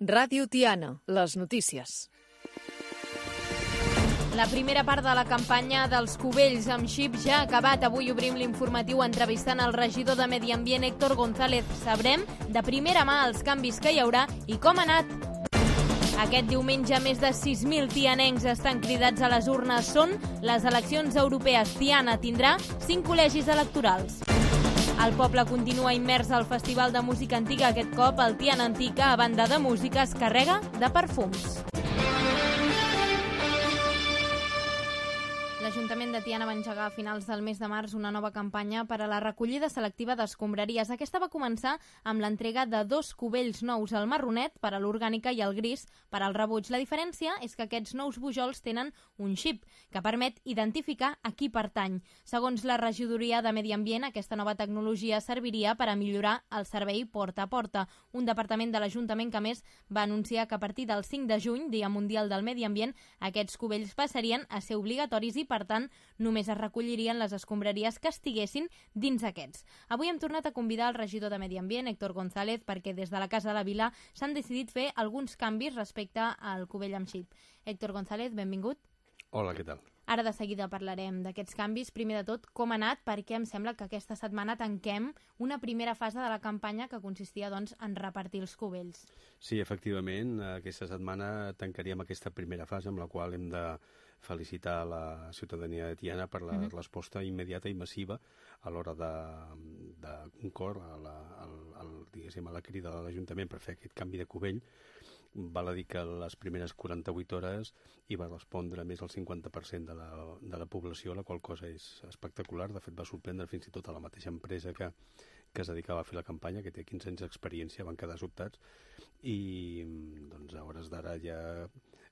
Ràdio Tiana, les notícies. La primera part de la campanya dels Cubells amb xip ja ha acabat. Avui obrim l'informatiu entrevistant el regidor de Medi Ambient, Héctor González. Sabrem de primera mà els canvis que hi haurà i com ha anat. Aquest diumenge més de 6.000 tianencs estan cridats a les urnes. Són les eleccions europees. Tiana tindrà 5 col·legis electorals. El poble continua immers al Festival de Música Antiga. Aquest cop el Tiana Antica, a banda de música, es carrega de perfums. L'Ajuntament de Tiana va engegar a finals del mes de març una nova campanya per a la recollida selectiva d'escombraries. Aquesta va començar amb l'entrega de 2 cubells nous, el marronet per a l'orgànica i el gris per al rebuig. La diferència és que aquests nous bujols tenen un xip que permet identificar a qui pertany. Segons la regidoria de Medi Ambient, aquesta nova tecnologia serviria per a millorar el servei porta a porta. Un departament de l'Ajuntament que, a més, va anunciar que a partir del 5 de juny, Dia Mundial del Medi Ambient, aquests cubells passarien a ser obligatoris i, per tant, només es recollirien les escombraries que estiguessin dins aquests. Avui hem tornat a convidar el regidor de Medi Ambient, Héctor González, perquè des de la Casa de la Vila s'han decidit fer alguns canvis respecte al cubell amb xip. Héctor González, benvingut. Hola, què tal? Ara de seguida parlarem d'aquests canvis. Primer de tot, com ha anat, perquè em sembla que aquesta setmana tanquem una primera fase de la campanya que consistia doncs, en repartir els cubells. Sí, efectivament, aquesta setmana tancaríem aquesta primera fase amb la qual hem de felicitar la ciutadania de Tiana per la resposta immediata i massiva a l'hora de concórrer a la crida de l'Ajuntament per fer aquest canvi de cubell. Val a dir que les primeres 48 hores hi va respondre més del 50% de la població, la qual cosa és espectacular. De fet, va sorprendre fins i tot a la mateixa empresa que es dedicava a fer la campanya, que té 15 anys d'experiència, van quedar sobtats. I doncs, a hores d'ara ja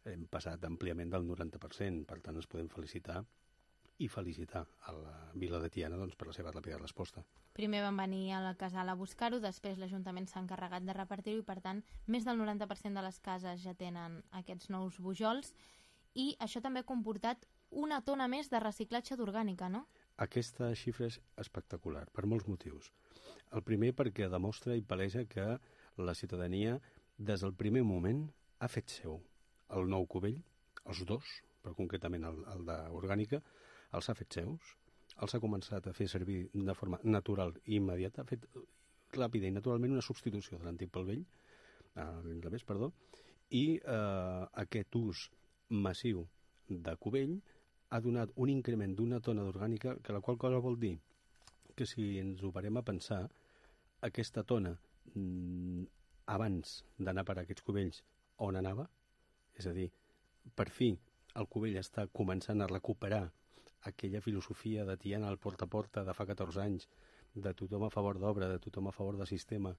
hem passat àmpliament del 90%, per tant ens podem felicitar a la vila de Tiana doncs, per la seva ràpida resposta. Primer van venir a la casal a buscar-ho, després l'Ajuntament s'ha encarregat de repartir-ho i, per tant, més del 90% de les cases ja tenen aquests nous bujols i això també ha comportat una tona més de reciclatge d'orgànica, no? Aquesta xifra és espectacular, per molts motius. El primer perquè demostra i palesa que la ciutadania, des del primer moment, ha fet seu el nou cubell, els dos, però concretament el d'orgànica, els ha fet seus, els ha començat a fer servir de forma natural i immediata, ha fet ràpida i naturalment una substitució de l'antic pel vell, i aquest ús massiu de cubell ha donat un increment d'una tona d'orgànica, que la qual cosa vol dir que si ens ho parem a pensar, aquesta tona, abans d'anar per aquests cubells, on anava? És a dir, per fi el cubell està començant a recuperar aquella filosofia de Tiana al porta a porta de fa 14 anys, de tothom a favor d'obra, de tothom a favor del sistema,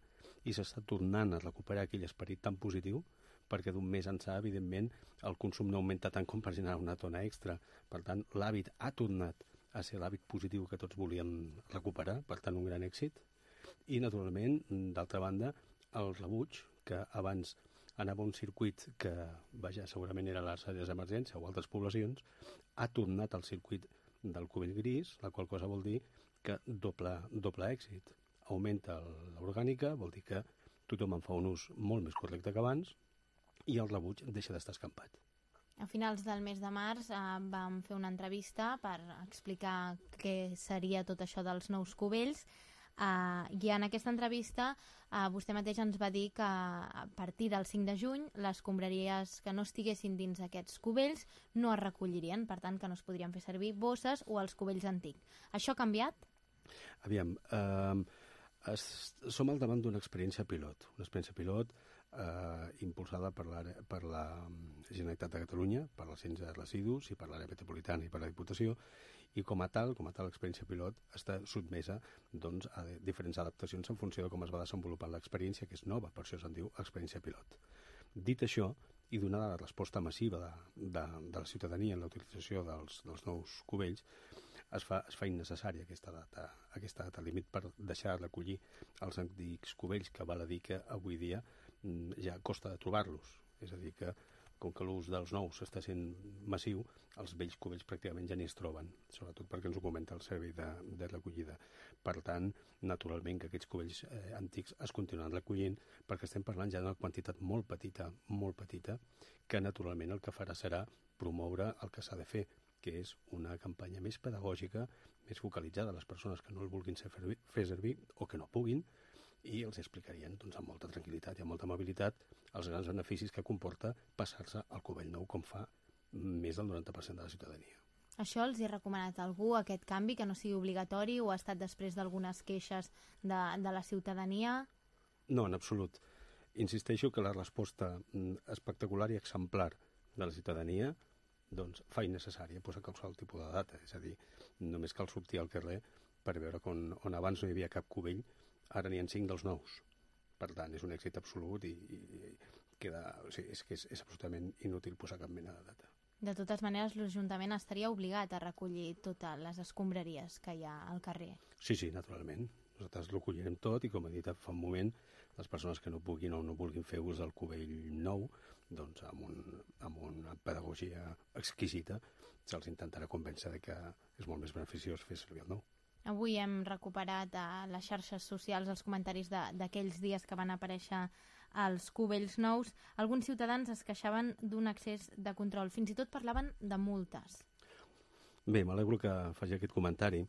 i s'està tornant a recuperar aquell esperit tan positiu, perquè d'un mes ençà, evidentment, el consum no augmenta tant com per generar una tona extra. Per tant, l'hàbit ha tornat a ser l'hàbit positiu que tots volien recuperar, per tant, un gran èxit. I, naturalment, d'altra banda, el rebuig, que abans anava a un circuit que, segurament era a les àrees d'emergència o altres poblacions, ha tornat al circuit del cubell gris, la qual cosa vol dir que doble èxit. Augmenta l'orgànica, vol dir que tothom en fa un ús molt més correcte que abans i el rebuig deixa d'estar escampat. A finals del mes de març vam fer una entrevista per explicar què seria tot això dels nous cubells. I en aquesta entrevista vostè mateix ens va dir que a partir del 5 de juny les escombraries que no estiguessin dins aquests cubells no es recollirien, per tant que no es podrien fer servir bosses o els cubells antics. Això ha canviat? Aviam, som al davant d'una experiència pilot, impulsada per la Generalitat de Catalunya, per l'Agència de Residus i per l'àrea metropolitana i per la Diputació, i com a tal l'experiència pilot està sotmesa doncs, a diferents adaptacions en funció de com es va desenvolupant l'experiència, que és nova, per això se'n diu experiència pilot. Dit això, i donada la resposta massiva de la ciutadania en la utilització dels nous cubells, es fa innecessària aquesta data límit per deixar de recollir els antics cubells, que val a dir que avui dia ja costa de trobar-los. És a dir que com que l'ús dels nous està sent massiu, els vells cubells pràcticament ja ni es troben, sobretot perquè ens ho comenta el servei de recollida. Per tant, naturalment que aquests cubells antics es continuen recollint, perquè estem parlant ja d'una quantitat molt petita, que naturalment el que farà serà promoure el que s'ha de fer, que és una campanya més pedagògica, més focalitzada a les persones que no el vulguin fer servir o que no puguin, i els explicarien amb molta tranquil·litat i amb molta amabilitat els grans beneficis que comporta passar-se al cubell nou, com fa més del 90% de la ciutadania. Això els hi ha recomanat algú, aquest canvi, que no sigui obligatori, o ha estat després d'algunes queixes de la ciutadania? No, en absolut. Insisteixo que la resposta espectacular i exemplar de la ciutadania fa innecessària posar qualsevol tipus de data. És a dir, només cal sortir al carrer per veure que on abans no hi havia cap cubell, ara n'hi ha 5 dels nous. Per tant, és un èxit absolut i és absolutament inútil posar cap mena de data. De totes maneres, l'Ajuntament estaria obligat a recollir totes les escombraries que hi ha al carrer. Sí, naturalment. Nosaltres ho recollirem tot i, com he dit fa un moment, les persones que no puguin o no vulguin fer ús del cubell nou, doncs amb una pedagogia exquisita se'ls intentarà convèncer que és molt més beneficiós fer servir el nou. Avui hem recuperat a les xarxes socials els comentaris d'aquells dies que van aparèixer els cubells nous. Alguns ciutadans es queixaven d'un excés de control, fins i tot parlaven de multes. Bé, m'alegro que faci aquest comentari,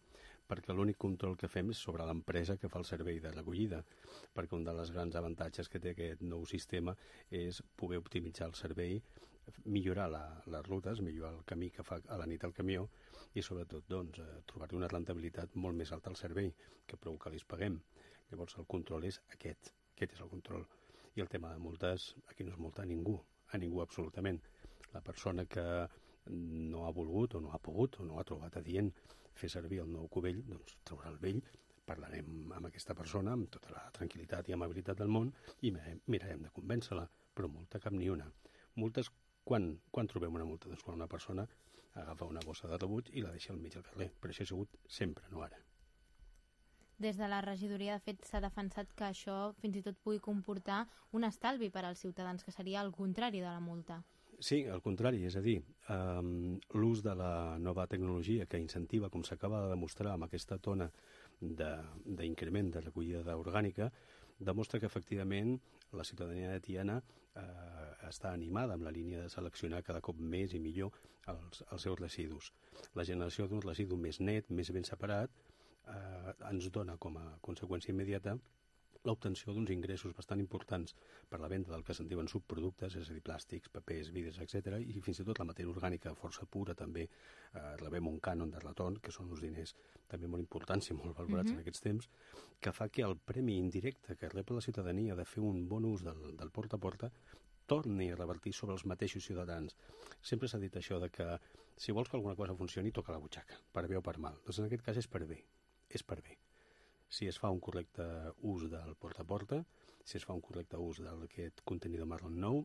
perquè l'únic control que fem és sobre l'empresa que fa el servei de recollida, perquè un dels grans avantatges que té aquest nou sistema és poder optimitzar el servei, millorar les rutes, millorar el camí que fa a la nit el camió i sobretot trobar-hi una rendibilitat molt més alta al servei, que prou que li paguem. Llavors el control és aquest és el control. I el tema de multes, aquí no es multa a ningú absolutament. La persona que no ha volgut o no ha pogut o no ha trobat adient fer servir el nou cubell, doncs traurà el vell, parlarem amb aquesta persona amb tota la tranquil·litat i amabilitat del món i mirarem de convèncer-la, però multa cap ni una. Multes, quan trobem una multa? Doncs quan una persona agafa una bossa de rebuig i la deixa al mig del carrer, però això ha sigut sempre, no ara. Des de la regidoria, de fet, s'ha defensat que això fins i tot pugui comportar un estalvi per als ciutadans, que seria el contrari de la multa. Sí, al contrari, és a dir, l'ús de la nova tecnologia que incentiva, com s'acaba de demostrar amb aquesta tona d'increment de recollida orgànica, demostra que efectivament la ciutadania de Tiana està animada amb la línia de seleccionar cada cop més i millor els seus residus. La generació d'un residu més net, més ben separat, ens dona com a conseqüència immediata l'obtenció d'uns ingressos bastant importants per la venda del que se'n diuen subproductes, és a dir, plàstics, papers, vidres, etc. I fins i tot la matèria orgànica força pura també rebem un cànon de retorn, que són uns diners també molt importants i molt valorats en aquests temps, que fa que el premi indirecte que rep la ciutadania de fer un bon ús del porta a porta torni a revertir sobre els mateixos ciutadans. Sempre s'ha dit això de que si vols que alguna cosa funcioni, toca la butxaca, per bé o per mal. Doncs en aquest cas és per bé. Si es fa un correcte ús del porta a porta, si es fa un correcte ús d'aquest contenidor marró nou,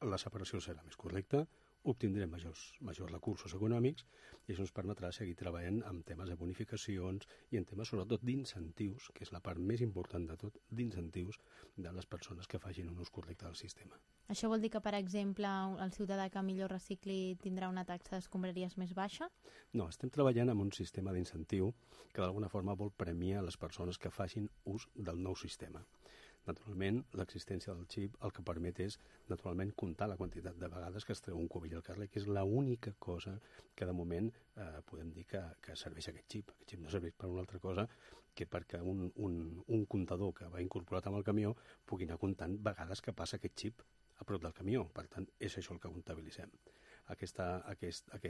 la separació serà més correcta, obtindrem majors recursos econòmics i això ens permetrà seguir treballant en temes de bonificacions i en temes sobretot d'incentius, que és la part més important de tot, d'incentius de les persones que facin un ús correcte del sistema. Això vol dir que, per exemple, el ciutadà que millor recicli tindrà una taxa d'escombraries més baixa? No, estem treballant amb un sistema d'incentiu que d'alguna forma vol premiar les persones que facin ús del nou sistema. Naturalment, l'existència del xip el que permet és, naturalment, comptar la quantitat de vegades que es treu un cubell al carrer, que és l'única cosa que, de moment, podem dir que serveix aquest xip. Aquest xip no serveix per una altra cosa que perquè un comptador que va incorporat amb el camió pugui anar comptant vegades que passa aquest xip a prop del camió. Per tant, és això el que comptabilitzem. Aquest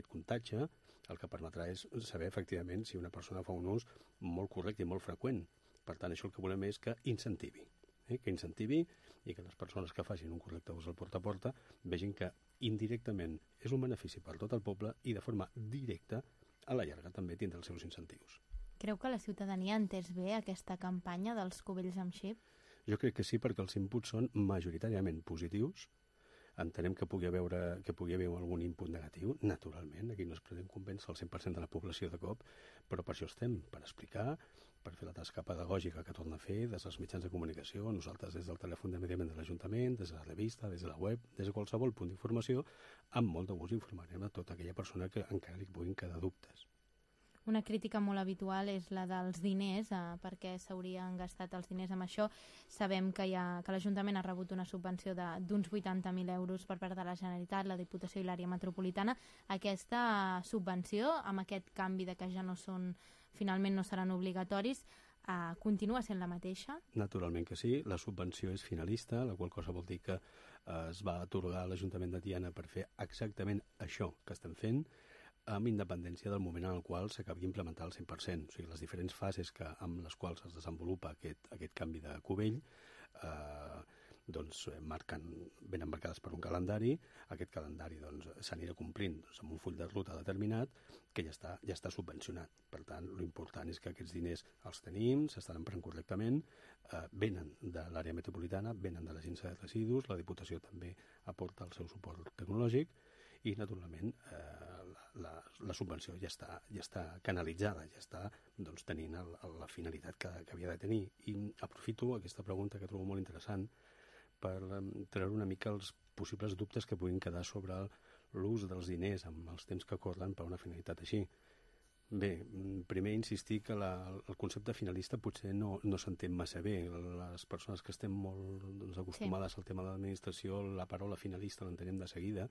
comptatge el que permetrà és saber, efectivament, si una persona fa un ús molt correcte i molt freqüent. Per tant, això el que volem és que incentivi. Que incentivi i que les persones que facin un correcte ús del porta a porta vegin que indirectament és un benefici per tot el poble i de forma directa a la llarga també tindrà els seus incentius. Creu que la ciutadania ha entès bé aquesta campanya dels cubells amb xip? Jo crec que sí, perquè els inputs són majoritàriament positius. Entenem que pugui haver algun input negatiu, naturalment, aquí no es pretén convèncer el 100% de la població de cop, però per això estem, per explicar, per fer la tasca pedagògica que torna a fer des dels mitjans de comunicació, nosaltres des del telèfon de mediament de l'Ajuntament, des de la revista, des de la web, des de qualsevol punt d'informació, amb molt de gust informarem a tota aquella persona que encara li puguin quedar dubtes. Una crítica molt habitual és la dels diners, perquè s'haurien gastat els diners amb això. Sabem que l'Ajuntament ha rebut una subvenció d'uns 80.000 euros per part de la Generalitat, la Diputació i l'àrea metropolitana. Aquesta subvenció, amb aquest canvi de que ja finalment no seran obligatoris, continua sent la mateixa? Naturalment que sí. La subvenció és finalista, la qual cosa vol dir que es va atorgar a l'Ajuntament de Tiana per fer exactament això que estem fent, amb independència del moment en el qual s'acabi d'implementar al 100%. O sigui, les diferents fases amb les quals es desenvolupa aquest canvi de cubell venen marcades per un calendari. Aquest calendari s'anirà complint amb un full de ruta determinat que ja està subvencionat. Per tant, l'important és que aquests diners els tenim, s'estan emprant correctament, venen de l'àrea metropolitana, venen de l'Agència de Residus, la Diputació també aporta el seu suport tecnològic i, naturalment, la subvenció ja està canalitzada, ja està tenint la finalitat que havia de tenir. I aprofito aquesta pregunta que trobo molt interessant per treure una mica els possibles dubtes que puguin quedar sobre l'ús dels diners amb els temps que corren per una finalitat així. Bé, primer insistir que el concepte finalista potser no s'entén massa bé. Les persones que estem molt acostumades al tema de l'administració, la paraula finalista l'entenem de seguida,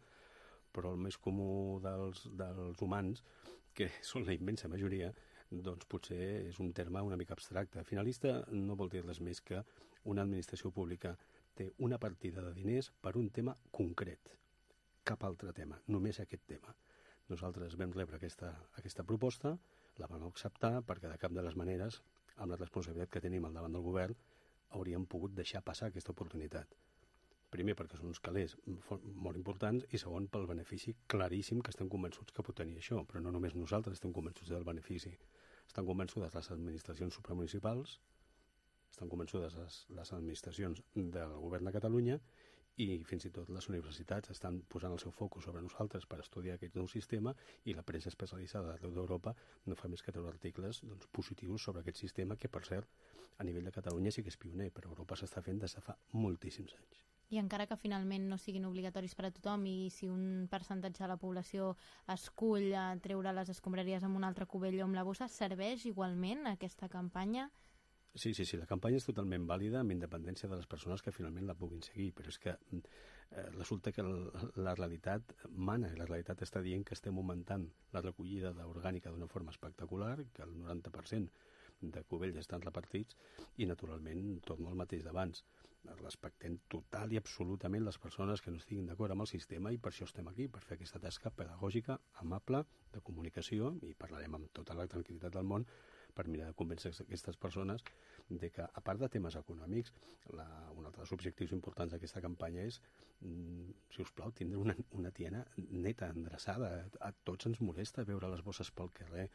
però el més comú dels humans, que són la immensa majoria, doncs potser és un terme una mica abstracte. Finalista no vol dir res més que una administració pública té una partida de diners per un tema concret. Cap altre tema, només aquest tema. Nosaltres vam rebre aquesta proposta, la vam acceptar perquè de cap de les maneres, amb la responsabilitat que tenim al davant del govern, hauríem pogut deixar passar aquesta oportunitat. Primer, perquè són uns calés molt importants, i segon, pel benefici claríssim que estem convençuts que pot tenir això. Però no només nosaltres estem convençuts del benefici. Estan convençudes les administracions supramunicipals, estan convençudes les administracions del govern de Catalunya i fins i tot les universitats estan posant el seu focus sobre nosaltres per estudiar aquest nou sistema, i la premsa especialitzada d'Europa no fa més que treure articles positius sobre aquest sistema que, per cert, a nivell de Catalunya sí que és pioner, però a Europa s'està fent des de fa moltíssims anys. I encara que finalment no siguin obligatoris per a tothom, i si un percentatge de la població escull treure les escombraries amb un altre cubell o amb la bossa, serveix igualment aquesta campanya? Sí, la campanya és totalment vàlida amb independència de les persones que finalment la puguin seguir, però és que resulta que la realitat mana, i la realitat està dient que estem augmentant la recollida d'orgànica d'una forma espectacular, que el 90% de cubells estan repartits, i naturalment torno al mateix d'abans. Respectem total i absolutament les persones que no estiguin d'acord amb el sistema, i per això estem aquí, per fer aquesta tasca pedagògica, amable, de comunicació, i parlarem amb tota la tranquil·litat del món per mirar de convèncer aquestes persones de que, a part de temes econòmics, un altre dels objectius importants d'aquesta campanya és, si us plau, tindre una Tiana neta, endreçada. A tots ens molesta veure les bosses pel carrer,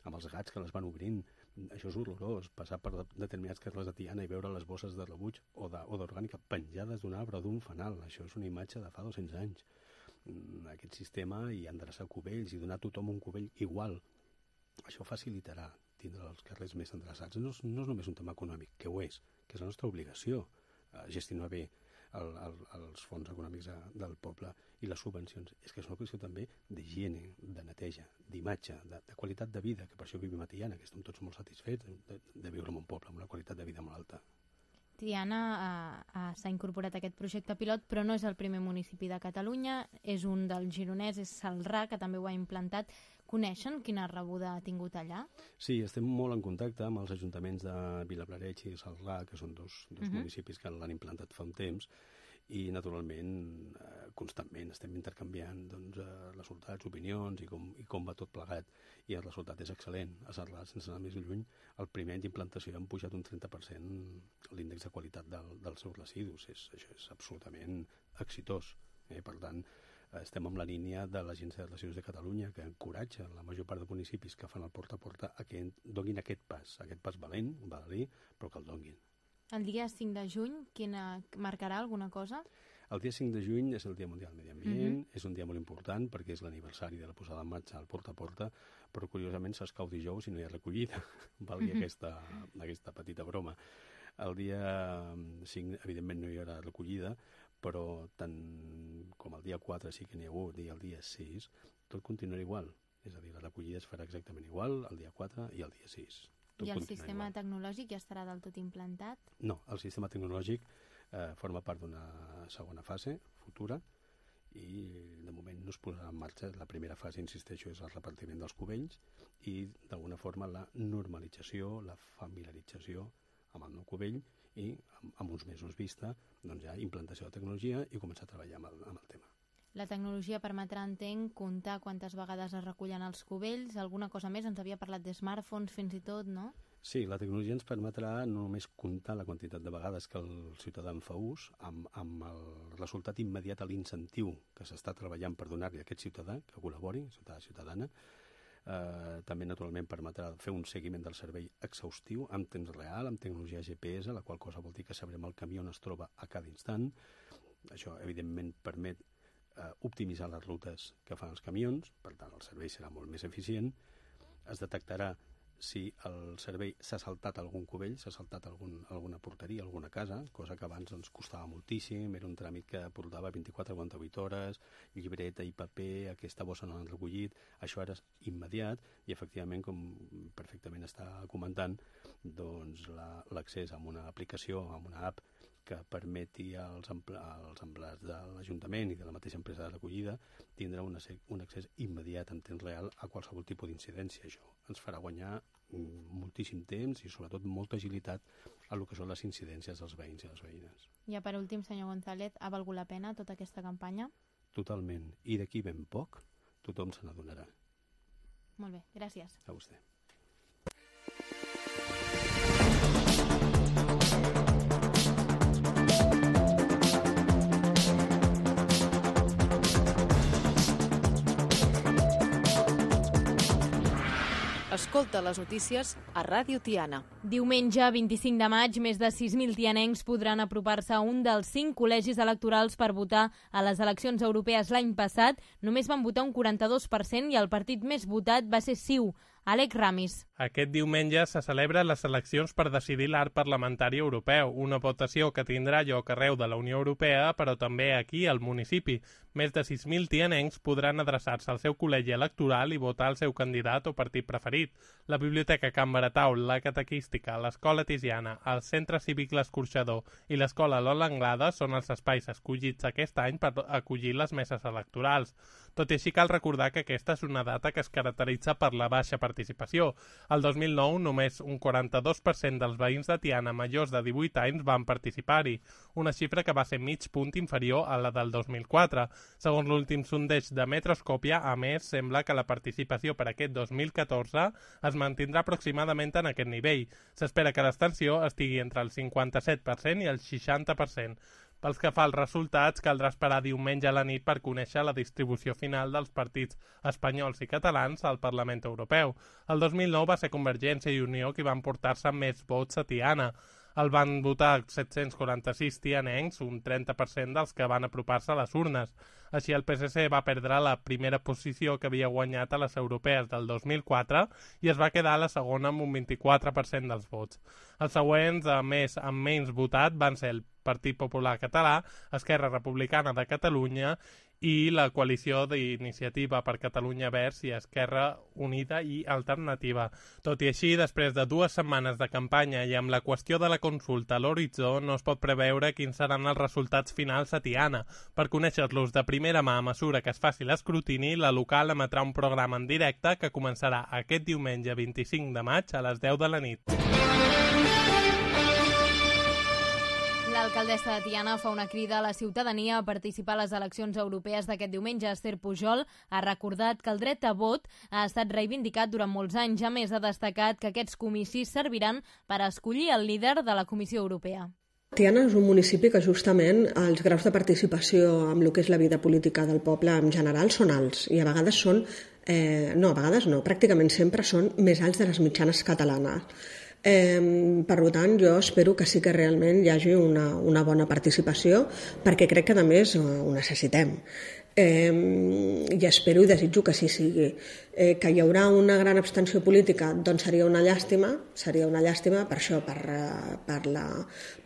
amb els gats que les van obrint. Això és horrorós, passar per determinats carrers de Tiana i veure les bosses de rebuig o d'orgànica penjades d'un arbre o d'un fanal. Això és una imatge de fa 200 anys. Aquest sistema, i endreçar cubells i donar a tothom un cubell igual, això facilitarà tindre els carrers més endreçats. No és només un tema econòmic, que ho és, que és la nostra obligació, gestionar bé els fons econòmics del poble i les subvencions. És que és una qüestió també d'higiene, de neteja, d'imatge, de qualitat de vida, que per això vivim a Tiana, que estem tots molt satisfets de viure en un poble amb una qualitat de vida molt alta. Tiana s'ha incorporat a aquest projecte pilot, però no és el primer municipi de Catalunya, és un del Gironès, és Celrà, que també ho ha implantat. Coneixen quina rebuda ha tingut allà? Sí, estem molt en contacte amb els ajuntaments de Vilablareix i Celrà, que són dos municipis que l'han implantat fa un temps, i naturalment constantment estem intercanviant resultats, opinions i com va tot plegat, i el resultat és excel·lent. A Celrà, sense anar més lluny, el primer any d'implantació han pujat un 30% l'índex de qualitat dels seus residus. Això és absolutament exitós. Per tant, estem en la línia de l'Agència de Residus de Catalunya, que encoratja la major part de municipis que fan el porta a porta a que donin aquest pas valent, baladí, però que el donin. El dia 5 de juny, marcarà alguna cosa? El dia 5 de juny és el Dia Mundial del Medi Ambient, és un dia molt important perquè és l'aniversari de la posada en marxa al Porta a Porta, però curiosament s'escau dijous i no hi ha recollida, valgui aquesta petita broma. El dia 5, evidentment, no hi haurà recollida, però tant com el dia 4 sí que n'hi ha hagut i el dia 6, tot continuarà igual. És a dir, la recollida es farà exactament igual el dia 4 i el dia 6. I el sistema tecnològic ja estarà del tot implantat? No, el sistema tecnològic forma part d'una segona fase futura i de moment no es posarà en marxa. La primera fase, insisteixo, és el repartiment dels cubells i d'alguna forma la normalització, la familiarització amb el nou cubell i amb uns mesos vista doncs ja implantació de tecnologia i començar a treballar amb el tema. La tecnologia permetrà, entenc, comptar quantes vegades es recullen els cubells, alguna cosa més, ens havia parlat de smartphones fins i tot, no? Sí, la tecnologia ens permetrà no només comptar la quantitat de vegades que el ciutadà en fa ús, amb el resultat immediat a l'incentiu que s'està treballant per donar-li a aquest ciutadà que col·labori, ciutadana. També, naturalment, permetrà fer un seguiment del servei exhaustiu en temps real, amb tecnologia GPS, la qual cosa vol dir que sabrem el camí on es troba a cada instant. Això, evidentment, permet optimitzar les rutes que fan els camions, per tant el servei serà molt més eficient. Es detectarà si el servei s'ha saltat algun cubell, s'ha saltat alguna porteria, alguna casa, cosa que abans ens costava moltíssim, era un tràmit que portava 24-48 hores, llibreta i paper, aquesta bossa no l'han recollit, això ara és immediat i efectivament, com perfectament està comentant, doncs l'accés a una aplicació, a una app que permeti als empleats de l'Ajuntament i de la mateixa empresa de recollida tindrà un accés immediat en temps real a qualsevol tipus d'incidència. Això ens farà guanyar moltíssim temps i sobretot molta agilitat a el que són les incidències dels veïns i les veïnes. Ja per últim, senyor González, ha valgut la pena tota aquesta campanya? Totalment. I d'aquí ben poc tothom se n'adonarà. Molt bé, gràcies. A vostè. Escolta les notícies a Ràdio Tiana. Diumenge, 25 de maig, més de 6.000 tianencs podran apropar-se a un dels 5 col·legis electorals per votar a les eleccions europees l'any passat. Només van votar un 42% i el partit més votat va ser CiU. Àlex Ramis. Aquest diumenge se celebren les eleccions per decidir l'arc parlamentari europeu, una votació que tindrà lloc arreu de la Unió Europea, però també aquí, al municipi. Més de 6.000 tianencs podran adreçar-se al seu col·legi electoral i votar el seu candidat o partit preferit. La Biblioteca Can Baratau, la Catequística, l'Escola Tiziana, el Centre Cívic L'Escorxador i l'Escola Lola Anglada són els espais escollits aquest any per acollir les meses electorals. Tot i així, cal recordar que aquesta és una data que es caracteritza per la baixa participació. El 2009, només un 42% dels veïns de Tiana majors de 18 anys van participar-hi, una xifra que va ser mig punt inferior a la del 2004. Segons l'últim sondeig de Metroscòpia, a més, sembla que la participació per aquest 2014 es mantindrà aproximadament en aquest nivell. S'espera que l'extensió estigui entre el 57% i el 60%. Pels que fa als resultats, caldrà esperar diumenge a la nit per conèixer la distribució final dels partits espanyols i catalans al Parlament Europeu. El 2009 va ser Convergència i Unió qui van portar-se més vots a Tiana. El van votar 746 tianencs, un 30% dels que van apropar-se a les urnes. Així, el PSC va perdre la primera posició que havia guanyat a les europees del 2004 i es va quedar a la segona amb un 24% dels vots. Els següents, a més, amb menys votat, van ser el Partit Popular Català, Esquerra Republicana de Catalunya i la coalició d'Iniciativa per Catalunya Verds i Esquerra Unida i Alternativa. Tot i així, després de 2 setmanes de campanya i amb la qüestió de la consulta a l'horitzó, no es pot preveure quins seran els resultats finals a Tiana. Per conèixer-los de primera mà a mesura que es faci l'escrutini, la local emetrà un programa en directe que començarà aquest diumenge 25 de maig a les 10 de la nit. L'alcaldessa de Tiana fa una crida a la ciutadania a participar a les eleccions europees d'aquest diumenge. Esther Pujol ha recordat que el dret a vot ha estat reivindicat durant molts anys. A més, ha destacat que aquests comicis serviran per escollir el líder de la Comissió Europea. Tiana és un municipi que justament els graus de participació amb el que és la vida política del poble en general són alts i a vegades són, pràcticament sempre són més alts de les mitjanes catalanes. Per tant, jo espero que sí que realment hi hagi una bona participació, perquè crec que, a més, ho necessitem. I espero i desitjo que així sigui. Que hi haurà una gran abstenció política, doncs seria una llàstima per això,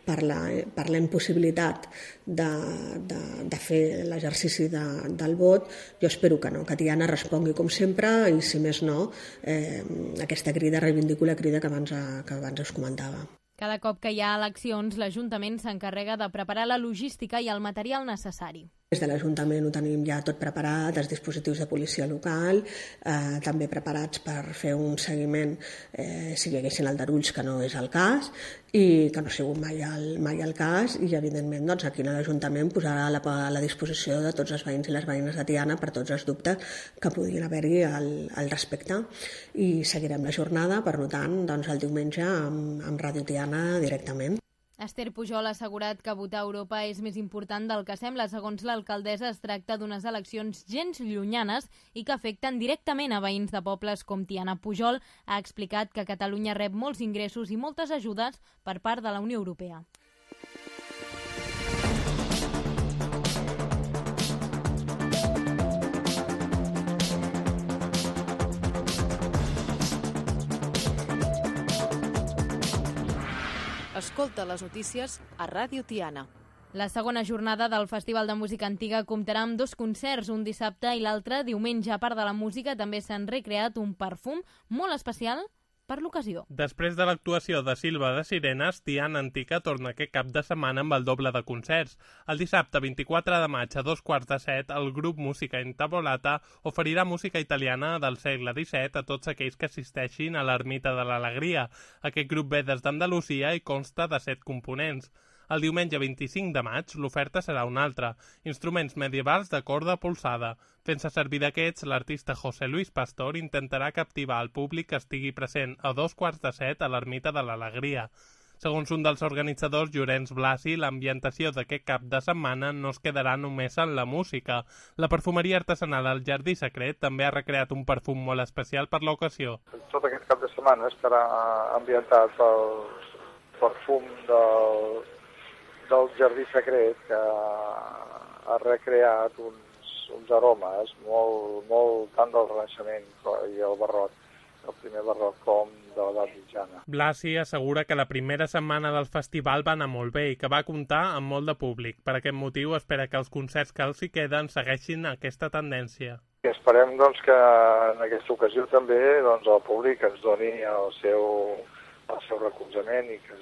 per la impossibilitat de fer l'exercici del vot. Jo espero que no, que Tiana respongui com sempre i, si més no, aquesta crida, reivindico la crida que abans us comentava. Cada cop que hi ha eleccions, l'Ajuntament s'encarrega de preparar la logística i el material necessari. Des de l'Ajuntament ho tenim ja tot preparat, els dispositius de policia local, també preparats per fer un seguiment si hi haguessin aldarulls, que no és el cas, i que no ha sigut mai el cas, i evidentment doncs, aquí a l'Ajuntament posarà a la disposició de tots els veïns i les veïnes de Tiana per tots els dubtes que puguin haver-hi al respecte. I seguirem la jornada, per tant, doncs, el diumenge amb Ràdio Tiana directament. Esther Pujol ha assegurat que votar a Europa és més important del que sembla. Segons l'alcaldessa, es tracta d'unes eleccions gens llunyanes i que afecten directament a veïns de pobles com Tiana. Pujol ha explicat que Catalunya rep molts ingressos i moltes ajudes per part de la Unió Europea. Escolta les notícies a Ràdio Tiana. La segona jornada del Festival de Música Antiga comptarà amb 2 concerts, un dissabte i l'altre diumenge. A part de la música, també s'han recreat un perfum molt especial per l'ocasió. Després de l'actuació de Silva de Sirenes, Tiana Antica torna aquest cap de setmana amb el doble de concerts. El dissabte 24 de maig a 6:45, el grup Música Intavolata oferirà música italiana del segle XVII a tots aquells que assisteixin a l'Ermita de l'Alegria. Aquest grup ve des d'Andalusia i consta de 7 components. El diumenge 25 de maig l'oferta serà una altra, instruments medievals de corda polsada. Fent-se servir d'aquests, l'artista José Luis Pastor intentarà captivar el públic que estigui present a 6:45 a l'Ermita de l'Alegria. Segons un dels organitzadors, Llorenç Blasi, l'ambientació d'aquest cap de setmana no es quedarà només en la música. La perfumeria artesanal al Jardí Secret també ha recreat un perfum molt especial per l'ocasió. Tot aquest cap de setmana estarà ambientat pel perfum del Jardí Secret, que ha recreat uns aromes molt tant del Renaixement i el barroc, el primer barroc, com de l'edat mitjana. Blasi assegura que la primera setmana del festival va anar molt bé i que va comptar amb molt de públic. Per aquest motiu espera que els concerts que els hi queden segueixin aquesta tendència. I esperem doncs, que en aquesta ocasió també doncs, el públic ens doni el seu recolzament i que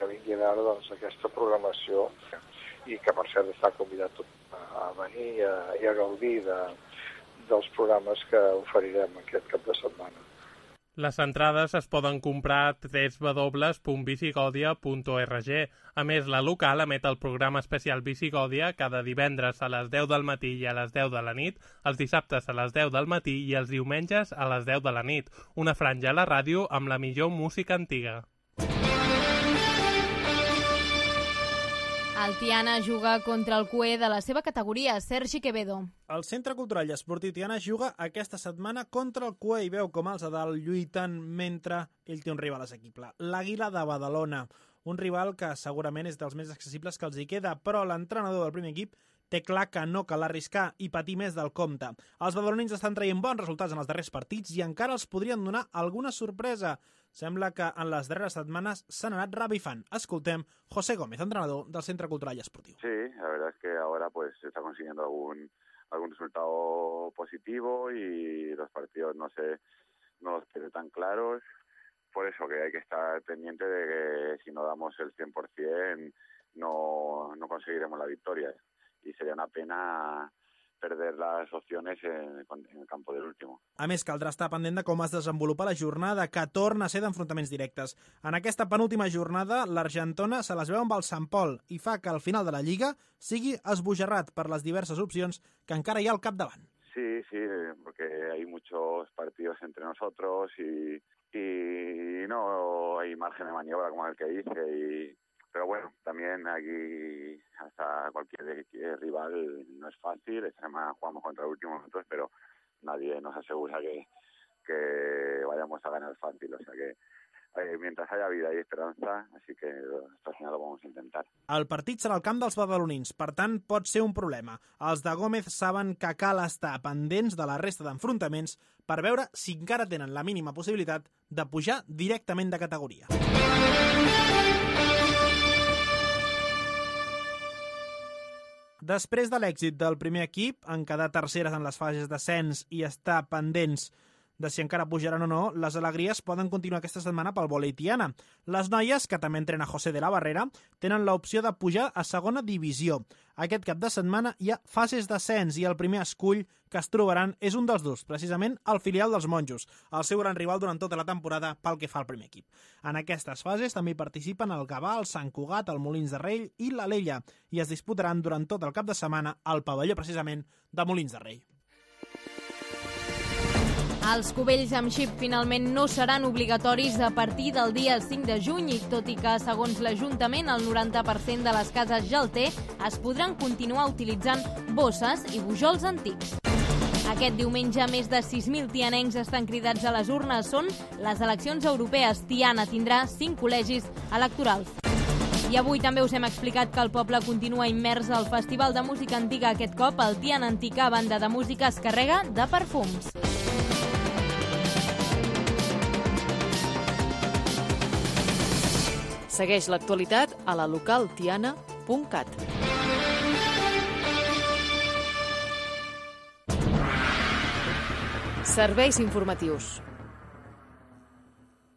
vingui a veure doncs, aquesta programació, i que per cert està convidat a venir i a gaudir dels programes que oferirem aquest cap de setmana. Les entrades es poden comprar a www.visigodia.org. A més, la local emet el programa especial Visigòdia cada divendres a les 10 del matí i a les 10 de la nit, els dissabtes a les 10 del matí i els diumenges a les 10 de la nit. Una franja a la ràdio amb la millor música antiga. El Tiana juga contra el cué de la seva categoria, Sergi Quevedo. El Centre Cultural i Esportiu Tiana juga aquesta setmana contra el cué i veu com els de dalt lluiten mentre ell té un rival assequible, l'Àguila de Badalona. Un rival que segurament és dels més accessibles que els hi queda, però l'entrenador del primer equip té clar que no cal arriscar i patir més del compte. Els badalonins estan traient bons resultats en els darrers partits i encara els podrien donar alguna sorpresa. Sembla que en les darreres setmanes s'han anat revifant. Escoltem José Gómez, entrenador del Centre Cultural y Esportivo. Sí, la verdad es que ahora pues se está consiguiendo algún resultado positivo y los partidos no los tiene tan claros. Por eso que hay que estar pendiente de que si no damos el 100% no conseguiremos la victoria. Y sería una pena perder les opcions en el campo del último. A més, caldrà estar pendent de com es desenvolupa la jornada, que torna a ser d'enfrontaments directes. En aquesta penúltima jornada, l'Argentona se les veu amb el Sant Pol i fa que al final de la Lliga sigui esbojarrat per les diverses opcions que encara hi ha al capdavant. Sí, porque hay muchos partidos entre nosotros y no hay margen de maniobra como el que dice pero bueno, también aquí hasta cualquier rival no es fácil. Esta semana jugamos contra el último nosotros, pero nadie nos asegura que vayamos a ganar fácil. O sea que mientras haya vida y esperanza, así que hasta el final lo vamos a intentar. El partit serà al camp dels badalonins, per tant pot ser un problema. Els de Gómez saben que cal estar pendents de la resta d'enfrontaments per veure si encara tenen la mínima possibilitat de pujar directament de categoria. Després de l'èxit del primer equip, en quedar terceres en les fases d'ascens i estar pendents de si encara pujaran o no, les alegries poden continuar aquesta setmana pel vòlei Tiana. Les noies, que també entrena José de la Barrera, tenen l'opció de pujar a segona divisió. Aquest cap de setmana hi ha fases d'ascens i el primer escull que es trobaran és un dels dos, precisament el filial dels monjos, el seu gran rival durant tota la temporada pel que fa al primer equip. En aquestes fases també hi participen el Gavà, el Sant Cugat, el Molins de Rei i l'Alella, i es disputaran durant tot el cap de setmana al pavelló precisament de Molins de Rei. Els cubells amb xip finalment no seran obligatoris a partir del dia 5 de juny, tot i que, segons l'Ajuntament, el 90% de les cases ja el té, es podran continuar utilitzant bosses i bujols antics. Aquest diumenge, més de 6.000 tianencs estan cridats a les urnes. Són les eleccions europees. Tiana tindrà 5 col·legis electorals. I avui també us hem explicat que el poble continua immers al Festival de Música Antiga. Aquest cop, el Tiana Antica, banda de música, es carrega de perfums. Segueix l'actualitat a la localtiana.cat. Serveis informatius.